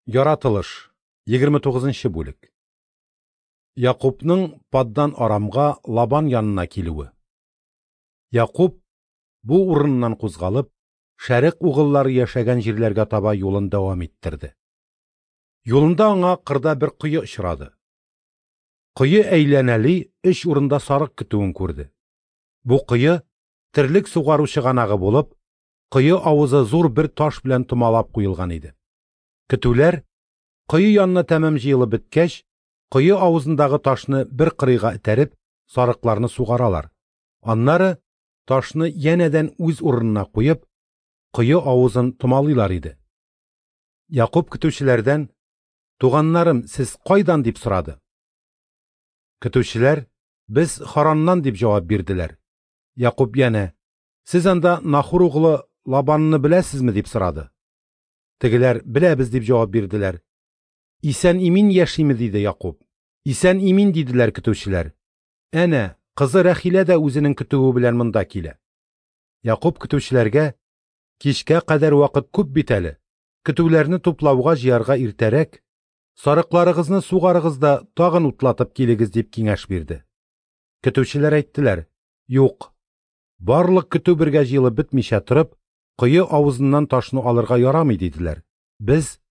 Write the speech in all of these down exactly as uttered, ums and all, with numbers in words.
Яратылыш, егерме тугызынчы бүлек. Якубның Паддан Арамга Лабан янына килүе. Якуб бу урыннан кузгалып, Шәрык угыллары яшәгән җирләргә таба юлын дәвам иттерде. Юлында аңа кырда бер кое очрады. Кое әйләнәли өч урында сарык көтүен күрде. Бу кое терлек сугару чыганагы булып, кое авызы зур бер таш белән томалап куелган иде. Көтүләр кое янына тәмам җыелып беткәч, кое авызындагы ташны бер кырыйга этәреп, сарыкларны сугаралар. Аннары ташны янәдән үз урынына куеп, кое авызын томалыйлар иде. Якуб көтүчеләрдән: "Туганнарым, сез кайдан?" дип сорады. Көтүчеләр: "Без Хараннан", дип җавап бирделәр. Якуб янә: "Сез анда Нахур углы Лабанны беләсезме?" дип сорады. Тегеләр: "Беләбез", дип җавап бирделәр. "Исән-имин яшиме?" диде Якуб. "Исән-имин", диделәр көтүчеләр. "Әнә, кызы Рәхилә дә үзенең көтүе белән монда килә." Якуб көтүчеләргә: "Кичкә кадәр вакыт күп бит әле. Көтүләрне туплауга җыярга иртәрәк, сарыкларыгызны сугарыгыз да тагын утлатып килегез", дип киңәш бирде. Көтүчеләр әйттеләр: "Юк, барлык көтү бергә җыелып бетмичә торып, кое авызыннан ташны алырга ярамый", диделәр. "Без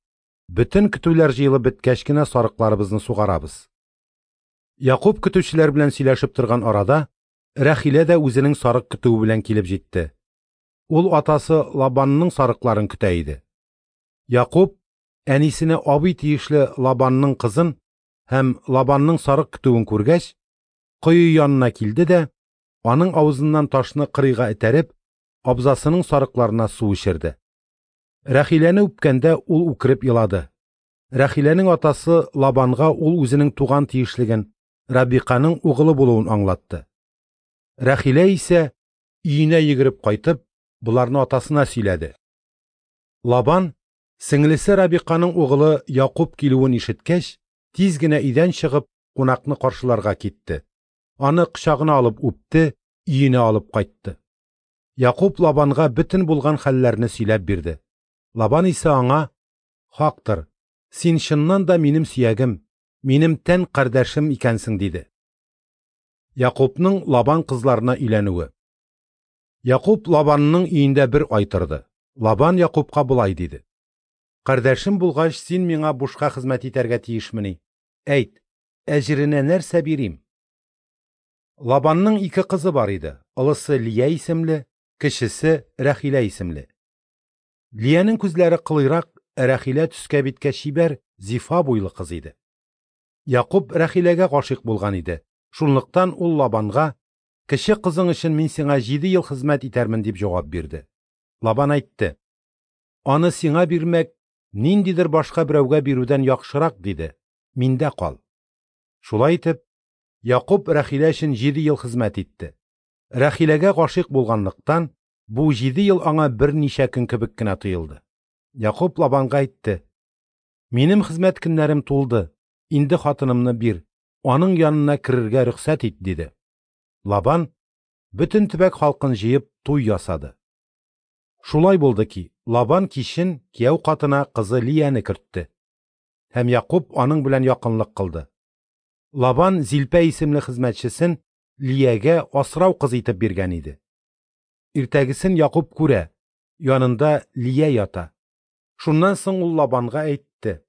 бөтен көтүләр җыелып беткәч кенә сарыкларыбызны сугарабыз." Якуб көтүчеләр белән сөйләшеп торган арада Рәхилә дә үзенең сарык көтүе белән килеп җитте. Ул атасы Лабанның сарыкларын көтә иде. Якуб әнисенә абый тиешле Лабанның кызын һәм Лабанның сарык көтүен күргәч, кое янына килде дә, аның авызыннан ташны кырыйга этәреп, абзасының сарыкларына су эчерде. Рәхиләне үпкәндә ул үкереп елады. Рәхиләнең атасы Лабанга ул үзенең туган тиешлеген, Рабиқаның угылы булуын аңлатты. Рәхилә исә өенә йөгереп кайтып, боларны атасына сөйләде. Лабан, сеңлесе Рабиқаның угылы Якуб килүен ишеткәч, тиз генә өйдән чыгып, кунакны каршыларга китте. Аны кочагына алып үпте, өенә алып кайтты. Якуб Лабанга бөтен булган хәлләрне сөйләп бирде. Лабан исә аңа: "Хактыр, син чыннан да минем сөягем, минем тән кардәшем икәнсең", диде. Якубның Лабан кызларына өйләнүе. Якуб Лабанның өендә бер ай торды. Лабан Якубка болай диде: "Кардәшем булгач, син миңа бушка хезмәт итәргә тиешмени? Әйт, әҗеренә нәрсә бирим?" Лабанның ике кызы бар иде. Олысы Лия исемле, кечесе Рәхилә исемле. Лиянең күзләре кылыйрак, Рәхилә төскә биткә чибәр, зифа буйлы кыз иде. Якуб Рәхиләгә гашыйк булган иде. Шунлыктан ул Лабанга: "Кече кызың өчен мин сиңа җиде ел хезмәт итәрмен", дип җавап бирде. Лабан әйтте: "Аны сиңа бирмәк ниндидер башка берәүгә бирүдән яхшырак", диде. "Миндә кал." Шулай итеп, Якуб Рәхилә өчен җиде ел хезмәт итте. Рәхиләгә гашыйк булганлыктан, бу җиде ел аңа берничә көн кебек кенә тоелды. Якуб Лабанга әйтте: "Минем хезмәт көннәрем тулды, инде хатынымны бир, аның янына керергә рөхсәт ит", диде. Лабан бөтен төбәк халкын җыеп туй ясады. Шулай булды ки, Лабан кичен кияү катына кызы Лияне кертте. Һәм Якуб аның белән якынлык кылды. Лабан Зилпә исемле хезмәтчесен Лиягә асрау кыз итеп биргән иде. Иртәгесен Якуб күрә, янында Лия ята. Шуннан соң ул Лабанга әйтте: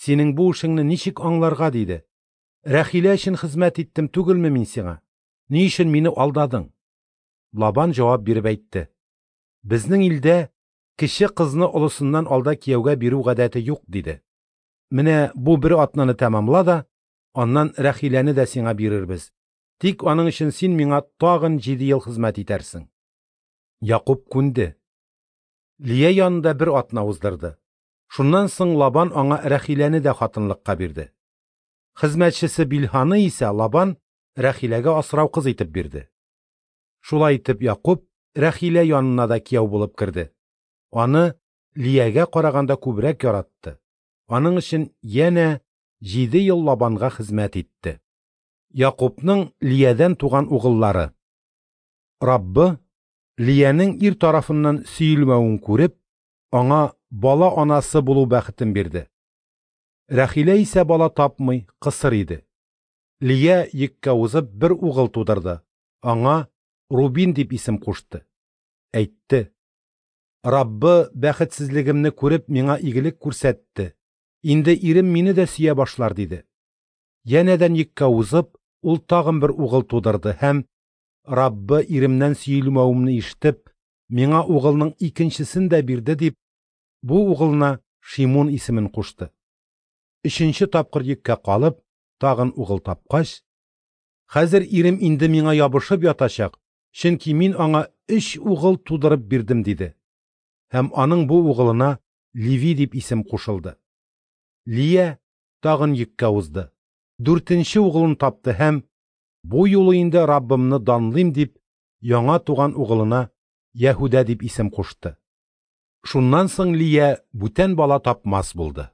"Синең бу эшеңне ничек аңларга?" диде. "Рәхилә өчен хезмәт иттем түгелме мин сиңа? Ни өчен мине алдадың?" Лабан җавап биреп әйтте: "Безнең илдә кече кызны олысыннан алда кияүгә бирү гадәте юк", диде. "Менә бу бер атнаны тәмамла да, аннан Рәхиләне дә сиңа бирербез. Тик аның өчен син миңа тагын җиде ел хезмәт итәрсең." Якуб күнде. Лия янында бер атна уздырды. Шуннан соң Лабан аңа Рәхиләне дә хатынлыкка бирде. Хезмәтчесе Билһаны исә Лабан Рәхиләгә асрау кыз итеп бирде. Шулай итеп Якуб Рәхилә янына да кияү булып керде. Аны Лиягә караганда күбрәк яратты. Аның өчен янә җиде ел Лабанга хезмәт итте. Якубның Лиядән туган угыллары. Раббы Лиянең ир тарафыннан сөелмәвен күреп, аңа бала анасы булу бәхетен бирде. Рәхилә исә бала тапмый, кысыр иде. Лия йөккә узып бер угыл тудырды. Аңа Рубин дип исем кушты. Әйтте: Раббы бәхетсезлегемне күреп миңа игелек күрсәтте. Инде ирем мине дә сөя башлар, диде. Янәдән йөккә узып, ул тагын бер угыл тудырды һәм Раббы иремнән сөелмәвемне ишетеп, миңа угылның икенчесен дә бирде дип, бу угылына Шимун исемен кушты. Өченче тапкыр йөккә калып, тагын угыл тапкач, хәзер ирем инде миңа ябышып ятачак, чөнки мин аңа өч угыл тудырып бирдем, диде. Һәм аның бу угылына Леви дип исем кушылды. Лия тагын йөккә узды. Дүртенче угылын тапты һәм бу юлы инде Раббымны данлыйм дип, яңа туган угылына Яһүдә дип исем кушты. Шуннан соң Лия бүтән бала тапмас булды.